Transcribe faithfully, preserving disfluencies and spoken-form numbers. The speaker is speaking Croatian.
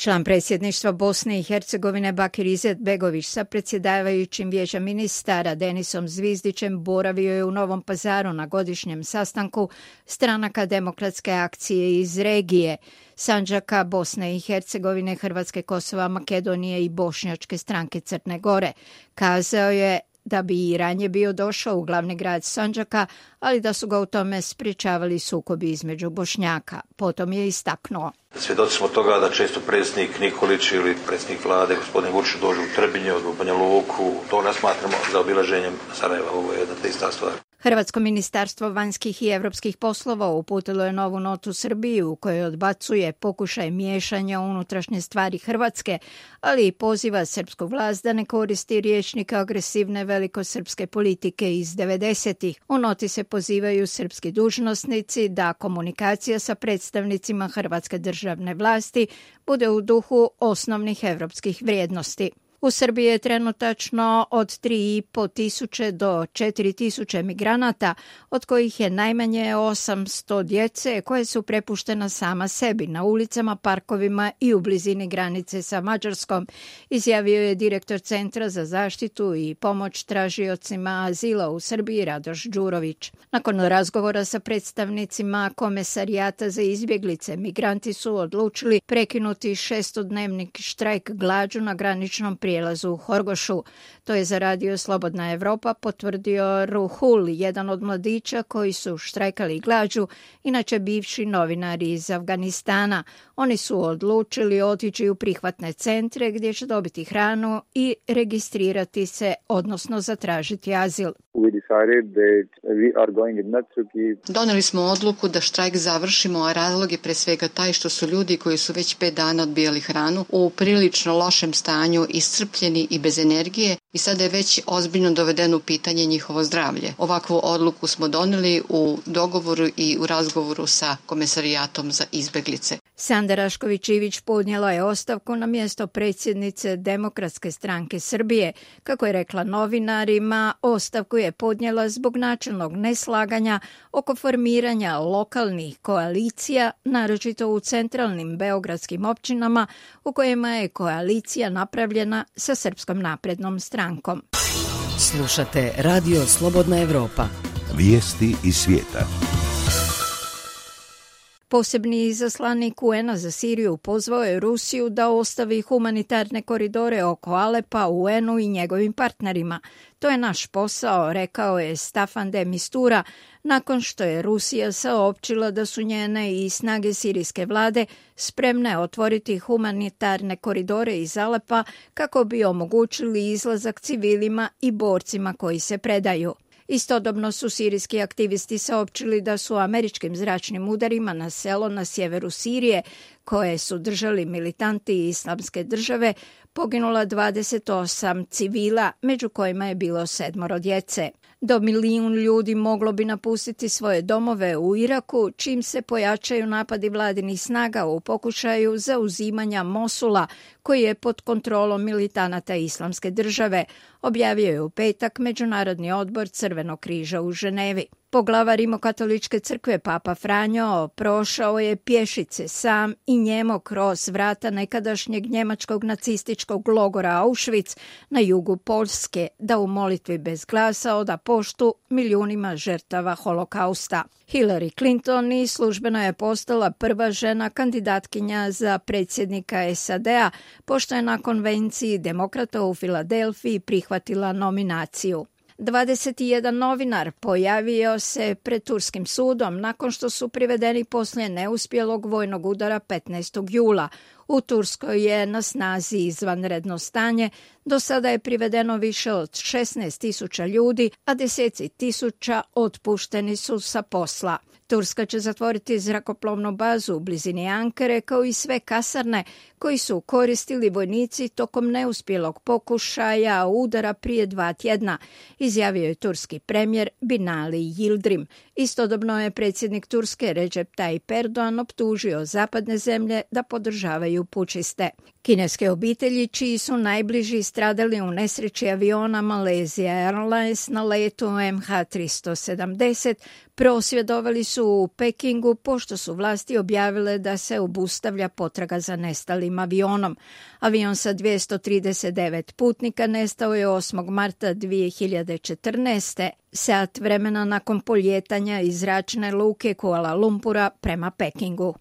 Član predsjedništva Bosne i Hercegovine Bakir Izetbegović sa predsjedavajućim vijeća ministara Denisom Zvizdićem boravio je u Novom Pazaru na godišnjem sastanku stranaka demokratske akcije iz regije, Sandžaka, Bosne i Hercegovine, Hrvatske, Kosova, Makedonije i Bošnjačke stranke Crne Gore. Kazao je da bi i ranije bio došao u glavni grad Sandžaka, ali da su ga u tome sprječavali sukobi između Bošnjaka. Potom je istaknuo: Svjedoci smo toga da često predsjednik Nikolić ili predsjednik vlade, gospodin Vučić, dođu u Trebinje, u Banja Luku. To ne smatramo za obilaženjem Sarajeva. Ovo je jedna te ista stvar. Hrvatsko ministarstvo vanjskih i europskih poslova uputilo je novu notu Srbiji u kojoj odbacuje pokušaj miješanja u unutrašnje stvari Hrvatske, ali i poziva srpsku vlast da ne koristi rječnik agresivne velikosrpske politike iz devedesetih. U noti se pozivaju srpski dužnosnici da komunikacija sa predstavnicima hrvatske državne vlasti bude u duhu osnovnih europskih vrijednosti. U Srbiji je trenutačno od tri i po tisuće do četiri tisuće migranata, od kojih je najmanje osamsto djece koje su prepuštena sama sebi na ulicama, parkovima i u blizini granice sa Mađarskom, izjavio je direktor Centra za zaštitu i pomoć tražiocima azila u Srbiji Radoš Đurović. Nakon razgovora sa predstavnicima Komesarijata za izbjeglice, migranti su odlučili prekinuti šestodnevni štrajk glađu na graničnom prijelazu u Horgošu. To je za Radio Slobodna Evropa potvrdio Ruhul, jedan od mladića koji su štrajkali glađu, inače bivši novinari iz Afganistana. Oni su odlučili otići u prihvatne centre gdje će dobiti hranu i registrirati se, odnosno zatražiti azil. Doneli smo odluku da štrajk završimo, a razlog je pre svega taj što su ljudi koji su već pet dana odbijali hranu u prilično lošem stanju, iscrpljeni i bez energije, i sada je već ozbiljno dovedeno u pitanje njihovo zdravlje. Ovakvu odluku smo doneli u dogovoru i u razgovoru sa Komesarijatom za izbjeglice. Sanda Rašković-Ivić podnijela je ostavku na mjesto predsjednice Demokratske stranke Srbije. Kako je rekla novinarima, ostavku je podnijela zbog načelnog neslaganja oko formiranja lokalnih koalicija, naročito u centralnim beogradskim općinama u kojima je koalicija napravljena sa Srpskom naprednom strankom. Slušate Radio Slobodna Evropa. Vijesti iz svijeta. Posebni izaslanik U N-a za Siriju pozvao je Rusiju da ostavi humanitarne koridore oko Alepa U N-u i njegovim partnerima. To je naš posao, rekao je Staffan de Mistura, nakon što je Rusija saopćila da su njene i snage sirijske vlade spremne otvoriti humanitarne koridore iz Alepa kako bi omogućili izlazak civilima i borcima koji se predaju. Istodobno su sirijski aktivisti saopćili da su američkim zračnim udarima na selo na sjeveru Sirije, koje su držali militanti Islamske države, poginula dvadeset osam civila, među kojima je bilo sedmoro djece. Do milijun ljudi moglo bi napustiti svoje domove u Iraku, čim se pojačaju napadi vladinih snaga u pokušaju zauzimanja Mosula, koji je pod kontrolom militanata Islamske države, objavio je u petak Međunarodni odbor Crvenog križa u Ženevi. Poglavar Rimokatoličke crkve Papa Franjo prošao je pješice sam i njemo kroz vrata nekadašnjeg njemačkog nacističkog logora Auschwitz na jugu Poljske da u molitvi bez glasa oda poštu milijunima žrtava holokausta. Hillary Clinton i službeno je postala prva žena kandidatkinja za predsjednika S A D-a, pošto je na konvenciji demokrata u Filadelfiji prihvatila nominaciju. dvadeset jedan novinar pojavio se pred turskim sudom nakon što su privedeni poslije neuspjelog vojnog udara petnaestog jula. U Turskoj je na snazi izvanredno stanje, do sada je privedeno više od šesnaest tisuća ljudi, a deseci tisuća otpušteni su sa posla. Turska će zatvoriti zrakoplovnu bazu u blizini Ankare kao i sve kasarne koji su koristili vojnici tokom neuspjelog pokušaja udara prije dva tjedna, izjavio je turski premijer Binali Yildirim. Istodobno je predsjednik Turske Recep Tayyip Erdogan optužio zapadne zemlje da podržavaju pučiste. Kineske obitelji čiji su najbliži stradali u nesreći aviona Malaysia Airlines na letu M H tristo sedamdeset Prosvjedovali su u Pekingu pošto su vlasti objavile da se obustavlja potraga za nestalim avionom. Avion sa dvjesto trideset devet putnika nestao je osmog marta dvije hiljade četrnaeste, sat vremena nakon poljetanja iz zračne luke Kuala Lumpura prema Pekingu.